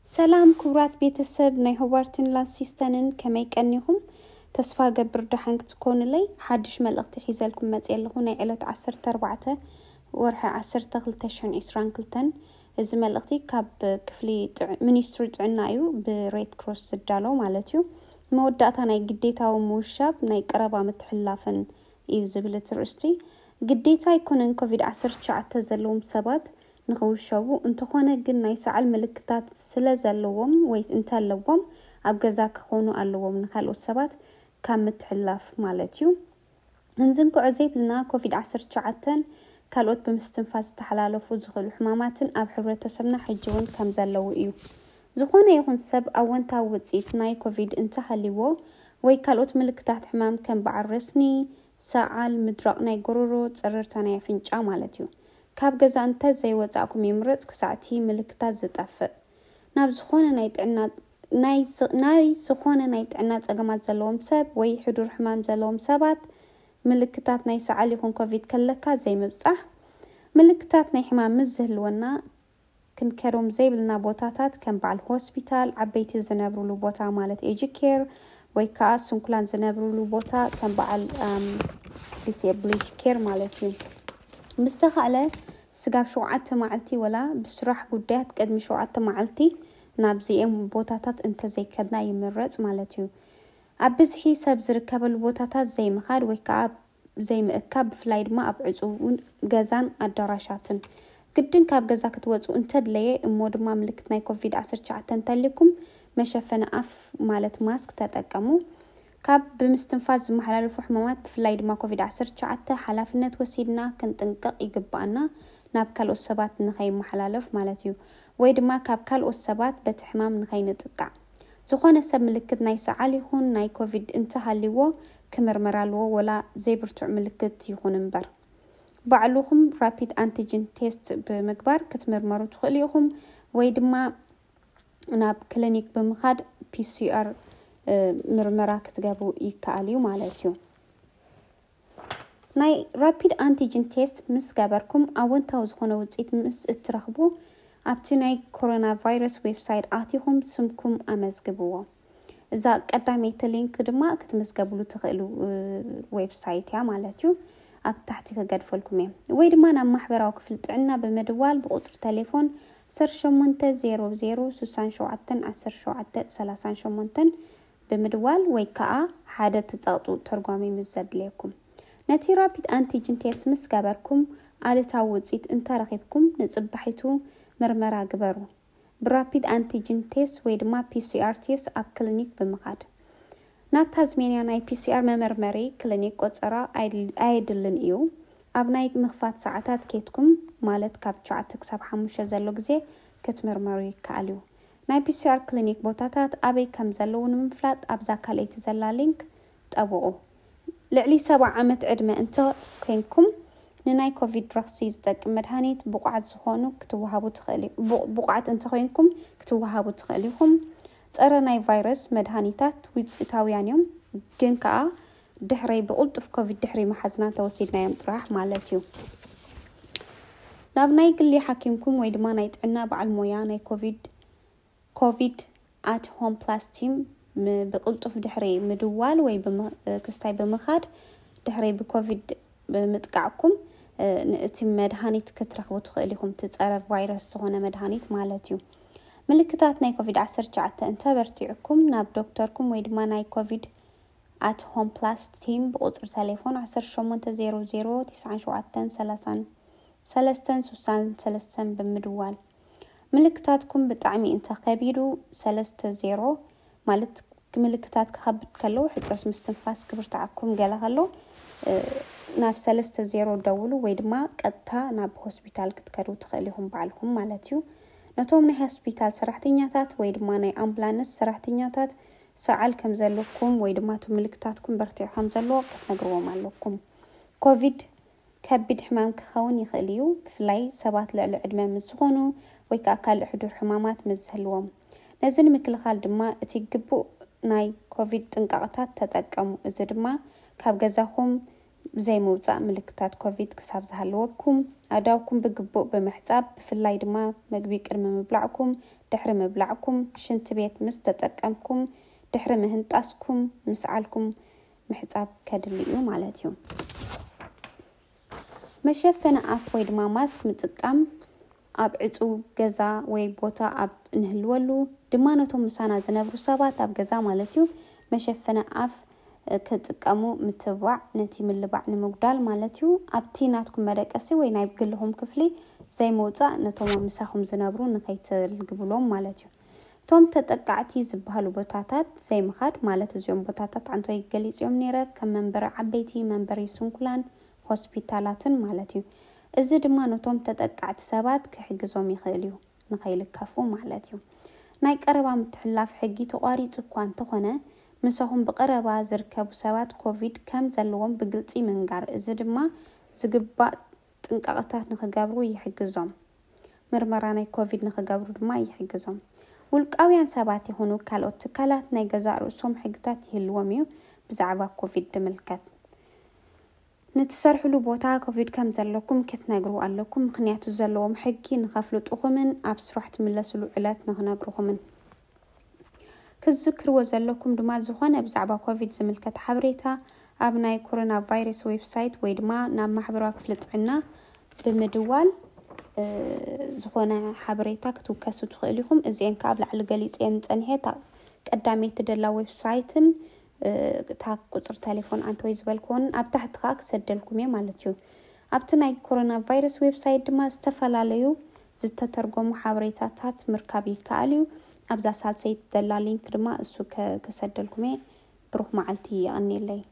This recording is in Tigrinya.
ሰላም ክቡራት ቤተሰብ ናይ ሆባርትን ላንሲስተንን፣ ከመይ ቀኒኹም? ተስፋ ገብር ደሓን ክትኮኑለይ። ሓድሽ መልእኽቲ ሒዘልኩም መፅእ ኣለኹ። ናይ ዕለት ዓሰርተ ኣርባዕተ ወርሒ ዓሰርተ ክልተ ሽሕን ዕስራን ክልተን። እዚ መልእኽቲ ካብ ክፍሊ ጥዕ- ሚኒስትሪ ጥዕና እዩ፣ ብሬድ ክሮስ ዝዳሎ ማለት እዩ። መወዳእታ ናይ ግዴታዊ ምውሻብ ናይ ቀረባ ምትሕልላፈን እዩ ዝብል እቲ ርእስቲ። ግዴታ ኣይኮነን ኮቪድ ዓሰርተ ትሽዓተ ዘለዎም ሰባት ንኽውሸቡ፣ እንተኾነ ግን ናይ ሰዓል ምልክታት ስለ ዘለዎም ወይ እንተለዎም ኣብ ገዛ ክኾኑ ኣለዎም፣ ንካልኦት ሰባት ካብ ምትሕልላፍ ማለት እዩ። እንዝንግዖ ዘይብልና ኮቪድ ዓሰርተ ትሽዓተን ካልኦት ብምስትንፋስ ዝተሓላለፉ ዝኽእሉ ሕማማትን ኣብ ሕብረተሰብና ሕጂ እውን ከም ዘለዉ እዩ። ዝኾነ ይኹን ሰብ ኣወንታዊ ውፅኢት ናይ ኮቪድ እንተሃልይዎ ወይ ካልኦት ምልክታት ሕማም ከም በዓል ረስኒ፣ ሰዓል፣ ምድራቕ ናይ ጎረሮ፣ ፅርርታ ናይ ኣፍንጫ ማለት እዩ። ካብ ገዛ እንተ ዘይወፃእኩም ይምረፅ ክሳዕ እቲ ምልክታት ዝጠፍእ። ናብ ዝኾነ ናይ ጥዕና ናይ ዝ- ናይ ዝኾነ ናይ ጥዕና ፀገማት ዘለዎም ሰብ ወይ ሕዱር ሕማም ዘለዎም ሰባት ምልክታት ናይ ሰዓል ይኹን ኮቪድ ከለካ ዘይምብፃሕ። ምልክታት ናይ ሕማም ምስ ዝህልወና ክንከዶም ዘይብልና ቦታታት ከም በዓል ሆስፒታል፣ ዓበይቲ ዝነብሩሉ ቦታ ማለት ኤጂ ኬር ወይ ከዓ ስንኩላን ዝነብሩሉ ቦታ ከም በዓል ዲስብሊቲ ኬር ማለት እዩ። ምስተኻእለ ስጋብ ሸውዓተ መዓልቲ ወላ ብስራሕ ጉዳያት ቅድሚ ሸውዓተ መዓልቲ ናብዚኦም ቦታታት እንተዘይከድና ይምረፅ ማለት እዩ። ኣብ ብዝሒ ሰብ ዝርከበሉ ቦታታት ዘይምኻድ ወይ ከዓ ዘይምእካብ፣ ብፍላይ ድማ ኣብ ዕፁውን ገዛን ኣዳራሻትን። ግድን ካብ ገዛ ክትወፁ እንተድለየ እሞ ድማ ምልክት ናይ ኮቪድ ዓሰርተ ትሽዓተ እንተልኩም መሸፈኒ ኣፍ ማለት ማስክ ተጠቀሙ። ካብ ብምስትንፋስ ዝመሓላለፉ ሕማማት ብፍላይ ድማ ኮቪድ ዓሰርተ ትሽዓተ ሓላፍነት ወሲድና ክንጥንቀቕ ይግባኣና፣ ናብ ካልኦት ሰባት ንኸይመሓላለፍ ማለት እዩ። ወይ ድማ ካብ ካልኦት ሰባት በቲ ሕማም ንኸይንጥቃዕ። ዝኾነ ሰብ ምልክት ናይ ሰዓል ይኹን ናይ ኮቪድ እንተሃልይዎ ክምርመር ኣለዎ፣ ወላ ዘይብርቱዕ ምልክት ይኹን እምበር። ባዕልኹም ራፒድ ኣንቲጅን ቴስት ብምግባር ክትምርመሩ ትኽእሉ ኢኹም፣ ወይ ድማ ናብ ክሊኒክ ብምኻድ ፒሲኣር ምርመራ ክትገብሩ ይከኣል እዩ ማለት እዩ። ናይ ራፒድ ኣንቲጅን ቴስት ምስ ገበርኩም ኣወንታዊ ዝኾነ ውፅኢት ምስ እትረኽቡ ኣብቲ ናይ ኮሮና ቫይረስ ዌብሳይት ኣቲኹም ስምኩም ኣመዝግብዎ። እዛ ቀዳመይቲ ሊንክ ድማ ክትምዝገብሉ ትኽእሉ ዌብሳይት እያ ማለት እዩ። ኣብ ታሕቲ ክገድፈልኩም እየ። ወይ ድማ ናብ ማሕበራዊ ክፍሊ ጥዕና ብምድዋል ብቁፅሪ ቴሌፎን ዓሰርተ ሸሞንተ ዜሮ ዜሮ ስሳን ሸውዓተን ዓሰርተ ሸውዓተ ሰላሳን ሸሞንተን ብምድዋል ወይ ከዓ ሓደ ትፀቕጡ ተርጓሚ ምስ ዘድልየኩም። ነቲ ራፒድ ኣንቲጅን ቴስት ምስ ገበርኩም ኣሉታዊ ውፅኢት እንተረኺብኩም ንፅባሒቱ ምርመራ ግበሩ። ብራፒድ ኣንቲጅን ቴስት ወይ ድማ ፒሲኣር ቴስት ኣብ ክሊኒክ ብምኻድ። ናብ ታዝሜንያ ናይ ፒሲኣር መመርመሪ ክሊኒክ ቆፀራ ኣየድልን እዩ። ኣብ ናይ ምኽፋት ሰዓታት ኬድኩም ማለት ካብ ትሽዓተ ክሳብ ሓሙሽተ ዘሎ ግዜ ክትምርመሩ ይከኣል እዩ። ናይ ፒሲኣር ክሊኒክ ቦታታት ኣበይ ከም ዘለዉ ንምፍላጥ ኣብዛ ካልኣይቲ ዘላ ሊንክ ጠብቑ። ልዕሊ ሰብዓ ዓመት ዕድመ እንተ ኮይንኩም ንናይ ኮቪድ ረኽሲ ዝጠቅም መድሃኒት ብቑዓት ዝኾኑ ክትወሃቡ ትኽእሉ ብቑዓት እንተ ኮይንኩም ክትወሃቡ ትኽእሉ ኢኹም። ፀረ ናይ ቫይረስ መድሃኒታት ውፅኢታውያን እዮም፣ ግን ከዓ ድሕረይ ብቕልጡፍ ኮቪድ ድሕሪ መሓዝና ተወሲድናዮም ጥራሕ ማለት እዩ። ናብ ናይ ግሊ ሓኪምኩም ወይ ድማ ናይ ጥዕና በዓል ሞያ ናይ ኮቪድ ኮቪድ ኣት ሆም ፕላስ ቲም ብቅልጡፍ ድሕሪ ምድዋል ወይ ክስታይ ብምኻድ ድሕሪ ብኮቪድ ብምጥቃዕኩም ንእቲ መድሃኒት ክትረኽቡ ትኽእል ኢኹም። እቲ ፀረ ቫይረስ ዝኾነ መድሃኒት ማለት እዩ። ምልክታት ናይ ኮቪድ ዓሰርተ ትሽዓተ እንተበርቲዕኩም ናብ ዶክተርኩም ወይ ድማ ናይ ኮቪድ ኣት ሆም ፕላስ ቲም ብቁፅሪ ቴሌፎን ዓሰርተ ሸሞንተ ዜሮ ዜሮ ትስዓን ሸውዓተን ሰላሳን ሰለስተን ስሳን ሰለስተን ብምድዋል። ምልክታትኩም ብጣዕሚ እንተኸቢዱ ሰለስተ ዜሮ ማለት ምልክታት ክኸብድ ከለዉ ሕፅረት ምስትንፋስ ክብርትዓኩም ገለ ከሎ ናብ ሰለስተ ዜሮ ደውሉ ወይ ድማ ቀጥታ ናብ ሆስፒታል ክትከዱ ትኽእል ኢኹም ባዕልኹም ማለት እዩ። ነቶም ናይ ሆስፒታል ሰራሕተኛታት ወይ ድማ ናይ ኣምቡላንስ ሰራሕተኛታት ሰዓል ከም ዘለኩም ወይ ድማ እቲ ምልክታትኩም በርቲዑ ከም ዘሎ ክትነግርዎም ኣለኩም። ኮቪድ ከቢድ ሕማም ክኸውን ይኽእል እዩ፣ ብፍላይ ሰባት ልዕሊ ዕድመ ምስ ዝኾኑ ወይ ከዓ ካልእ ሕዱር ሕማማት ምስ ዝህልዎም። ነዚ ንምክልኻል ድማ እቲ ግቡእ ናይ ኮቪድ ጥንቃቕታት ተጠቀሙ። እዚ ድማ ካብ ገዛኹም ዘይምውፃእ፣ ምልክታት ኮቪድ ክሳብ ዝሃለወኩም፣ ኣእዳውኩም ብግቡእ ብምሕፃብ፣ ብፍላይ ድማ መግቢ ቅድሚ ምብላዕኩም ድሕሪ ምብላዕኩም፣ ሽንቲ ቤት ምስ ተጠቀምኩም፣ ድሕሪ ምህንጣስኩም፣ ምስዓልኩም ምሕጻብ ከድሊ እዩ ማለት እዩ። መሸፈኒ ኣፍ ወይ ድማ ማስክ ምጥቃም ኣብ ዕጹው ገዛ ወይ ቦታ ኣብ እንህልወሉ ድማ ነቶም ምሳና ዝነብሩ ሰባት ኣብ ገዛ ማለት እዩ መሸፈኒ ኣፍ ክጥቀሙ ምትብባዕ ነቲ ምልባዕ ንምጉዳል ማለት እዩ። ኣብቲ ናትኩም መደቀሲ ወይ ናይ ግልኹም ክፍሊ ዘይምውጻእ ነቶም ኣብ ምሳኹም ዝነብሩ ንኸይትልግብሎም ማለት እዩ። እቶም ተጠቃዕቲ ዝበሃሉ ቦታታት ዘይምኻድ ማለት እዚኦም ቦታታት ዓንቶይ ገሊጽ እዮም ነይረ ከም መንበሪ ዓበይቲ መንበሪ ስንኩላን ሆስፒታላትን ማለት እዩ። እዚ ድማ ነቶም ተጠቃዕቲ ሰባት ክሕግዞም ይኽእል እዩ ንኸይልከፉ ማለት እዩ። ናይ ቀረባ ምትሕላፍ ሕጊ ተቋሪጹ እኳ እንተኾነ ምሳኹም ብቐረባ ዝርከቡ ሰባት ኮቪድ ከም ዘለዎም ብግልጺ ምንጋር እዚ ድማ ዝግባእ ጥንቃቐታት ንኽገብሩ ይሕግዞም። ምርመራ ናይ ኮቪድ ንኽገብሩ ድማ ይሕግዞም። ውልቃውያን ሰባት ይኹኑ ካልኦት ትካላት ናይ ገዛእ ርእሶም ሕግታት ይህልዎም እዩ ብዛዕባ ኮቪድ ዝምልከት። ንትሰርሕሉ ቦታ ኮቪድ ከም ዘለኩም ክትነግሩ ኣለኩም፣ ምኽንያቱ ዘለዎም ሕጊ ንኸፍልጡኹምን ኣብ ስራሕ ትምለስሉ ዕለት ንኽነግርኹምን። ክትዝክርዎ ዘለኩም ድማ ዝኾነ ብዛዕባ ኮቪድ ዝምልከት ሓበሬታ ኣብ ናይ ኮሮና ቫይረስ ዌብሳይት ወይ ድማ ናብ ማሕበራዊ ክፍሊ ጥዕና ብምድዋል ዝኾነ ሓበሬታ ክትውከሱ ትኽእል ኢኹም። እዚአን ከዓ ኣብ ላዕሊ ገሊፀን ፀኒሐ እታ ቀዳመይቲ ደላ ዌብሳይትን እታ ቁፅሪ ቴሌፎን ኣንተወይ ዝበልክዎን ኣብ ታሕቲ ከዓ ክሰደልኩም እየ ማለት እዩ። ኣብቲ ናይ ኮሮና ቫይረስ ዌብሳይት ድማ ዝተፈላለዩ ዝተተርጎሙ ሓበሬታታት ምርካብ ይከኣል እዩ። ኣብዛ ሳልሰይቲ ደላ ሊንክ ድማ እሱ ክሰደልኩም እየ። ብሩኽ መዓልቲ፣ የቐንየለይ።